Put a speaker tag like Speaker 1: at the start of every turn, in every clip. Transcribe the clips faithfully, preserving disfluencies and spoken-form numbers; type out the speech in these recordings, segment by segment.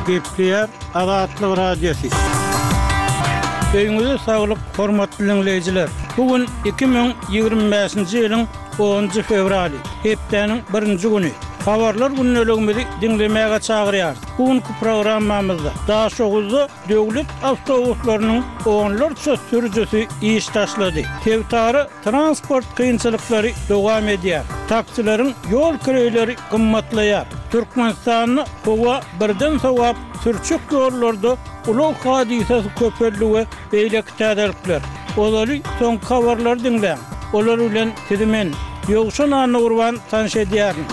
Speaker 1: Gepleýär Azatlyk Radiosy. Öýüňize saglyk, hormatly diňleýjiler. Bu gün iki müň ýigrimi bäşinji ýylyň onunjy fewraly, hepdäniň birinji güni. Habarlar gündeligimizi diňlemäge çagyrýarys. Bu günki programmamyzda Daşoguzda döwlet awtobuslarynyň onlarça sürüjisi iş taşlady. Sebitara transport kynçylyklary dowam edýär. Taksileriň ýol kireýleri gymmatlaýar. Türkmenistanda howa birden sowap, sürçek ýollarda ulag hadysasy köpeldi we beýleki täzelikler. Ozaly soňky habarlary diňläň. Olar bilen sizi men, Ýowşan Annagurban tanyş edýärin.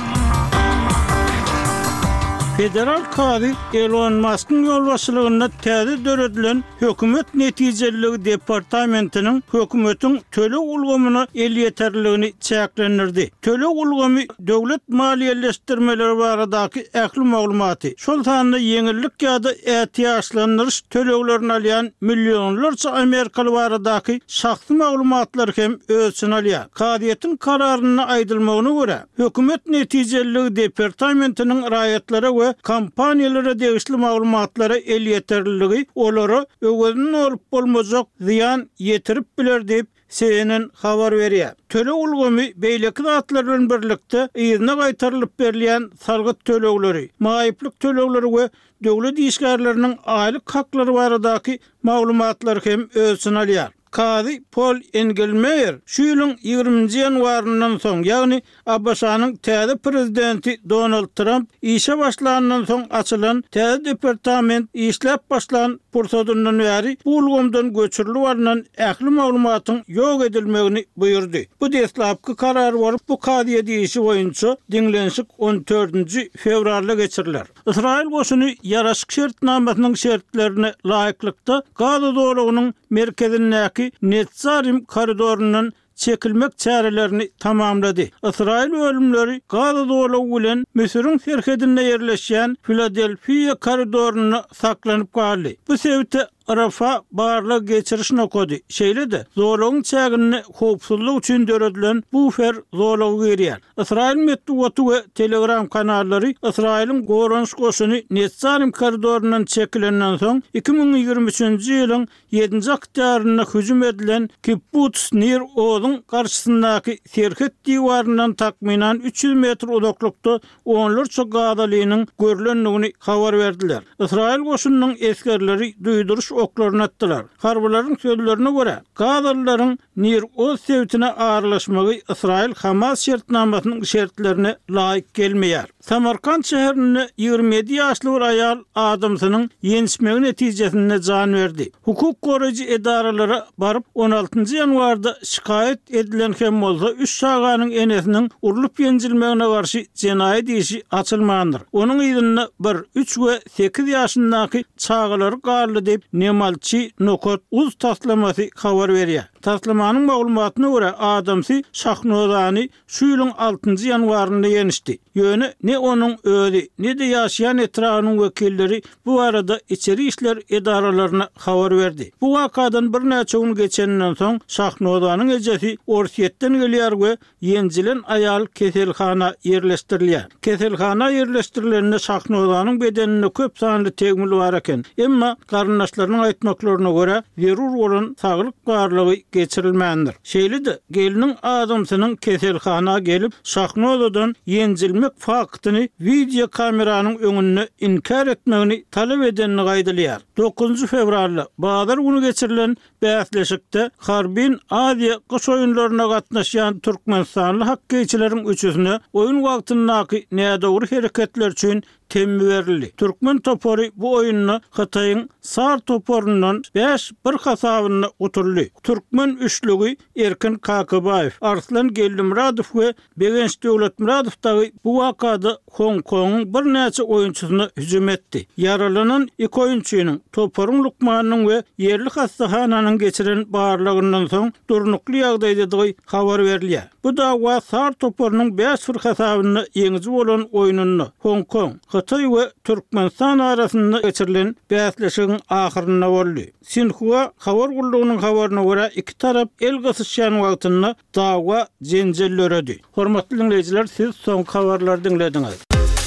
Speaker 1: Federal kazy Elon Maskyň ýolbaşçylygynda täze döredilen Hökümet netijeliligi departamentiniň hökümetiň töleg ulgamyna elýeterliligini çäklendirdi. Töleg ulgamy döwlet maliýeleşdirmeleri baradaky ähli maglumaty, şol sanda ýeňillik ýa-da ätiýaçlandyryş töleglerini alýan millionlarça amerikaly baradaky şahsy maglumatlary hem öz içine alýar. Kazyýetiň kararynda aýdylmagyna görä, Hökümet netijeliligi departamentiniň raýatlara we kompaniýalara degişli maglumatlara elýeterliligi olara öwezini dolup bolmajak zyýan ýetirip biler diýip, C N N habar berýär. Töleg ulgamy beýleki zatlar bilen birlikde yzyna gaýtarylyp berilýän salgyt tölegleri, maýyplyk tölegleri we döwlet işgärleriniň aýlyk haklary baradaky maglumatlary hem öz içine alýar. Kazy Pol Engelmeýer şu ýylyň ýigriminji ýanwaryndan soň, ýagny A B Ş-nyň täze prezidenti Donald Tramp işe başlandan soň açylan täze departament işläp başlan pursadyndan bäri bu ulgamdan göçürilip alnan ähli maglumatyň ýok edilmegini buýurdy. Bu deslapky karar bolup, bu kazyýet işi boýunça diňlenişik on dördünji fewralda geçiriler. Ysraýyl goşuny ýaraşyk şertnamasynyň şertlerine laýyklykda Gaza zolagynyň merkezindäki Netzarim koridoryndan çekilmek çärelerini tamamlady. Ysraýyl bölümleri Gaza zolagy bilen Müsüriň serhedinde ýerleşýän Filadelfiýa koridorynda saklanyp galdy. Bu sebite Rafa barlag geçiriş nokady, şeýle-de zolagyň çäginde howpsuzlyk üçin döredilen bufer zolagy girýär. Ysraýyl metbugaty we Telegram kanallary Ysraýylyň goranyş goşuny Netzarim koridoryndan çekilenden soň iki müň ýigrimi üçünji ýylyň ýedinji oktýabrynda hüjüm edilen Kibbutz Nir Ozuň garşysyndaky serhet diwaryndan takmynan üç ýüz metr uzaklykda onlarça gazalynyň görlendigini habar berdiler. Ysraýyl goşunynyň esgerleri duýduryş oklaryny atdylar. Harbylaryň sözlerine görä, gazalylaryň Nir Oz sebitine aralaşmagy Ysraýyl-Hamas şertnamasynyň şertlerine laýyk gelmeýär. Samarkant şäherinde ýigrimi ýedi ýaşly bir aýal adamsynyň ýençmegi netijesinde jan berdi. Hukuk goraýjy edaralara baryp, on altynjy ýanwarda şikaýat edilen hem bolsa, üç çaganyň enesiniň urlup ýenjilmegine garşy jenaýat işi açylmandyr. Onuň yzynda bir, üç we sekiz ýaşyndaky çagalary galdy diýip, Nemalçi nokat uz taslamasy habar berýär. Taslamanyň maglumatyna görä, adamsy Şahnozany şu ýylyň altynjy ýanwarynda ýenişdi. Ýöne ne onuň özi, ne-de ýaşaýan etrabynyň wekilleri bu barada içeri işler edaralaryna habar berdi. Bu wakadan birnäçe gün geçeninden soň, Şahnozanyň ejesi Orsýetden gelýär we ýenjilen aýal keselhana ýerleşdirilýär. Keselhana ýerleşdirilende Şahnozanyň bedeninde köp sanly tegmil bar eken. Emma garyndaşlarynyň aýtmaklaryna görä, zerur bolan saglyk barlagy geçirilmändir. Şeýle-de, gelniň adamsynyň keselhana gelip, Şahnozadan ýenjilmek faktyny wideo kameranyň öňünde inkär etmegini talap edendigi aýdylýar. Dokuzynjy fewralda, bazar güni geçirilen bäsleşikde Harbin Aziýa gyş oýunlaryna gatnaşýan türkmenistanly hokkeýçileriň üçüsine oýun wagtyndaky nädogry hereketler üçin temmi berildi. Türkmen topary bu oýunda Hytaýyň SAR toparyndan bäş bir hasabynda utuldy. Türkmen üçlügi Erkin Kakabaýew, Arslan Geldimyradow we Begenç Döwletmyradow dagy bu wakada Hong-Kongyň birnäçe oýunçysyna hüjüm etdi. Ýaralanan iki oýunçynyň, toparyň lukmanynyň we ýerli hassahananyň geçiren barlagyndan soň durnukly ýagdaýdadygy habar berilýär. Bu dawa SAR toparynyň bäş bir hasabynda ýeňiji bolan oýnunda Hong-Kong, Hytaý we Türkmenistan arasynda geçirilen bäsleşigiň ahyrynda boldy. Sinhua habar gullugynyň habaryna görä, iki tarap el gysyşýan wagtynda dawa jenjel döredi. Hormatly diňleýjiler, siz soňky habarlary diňlediňiz.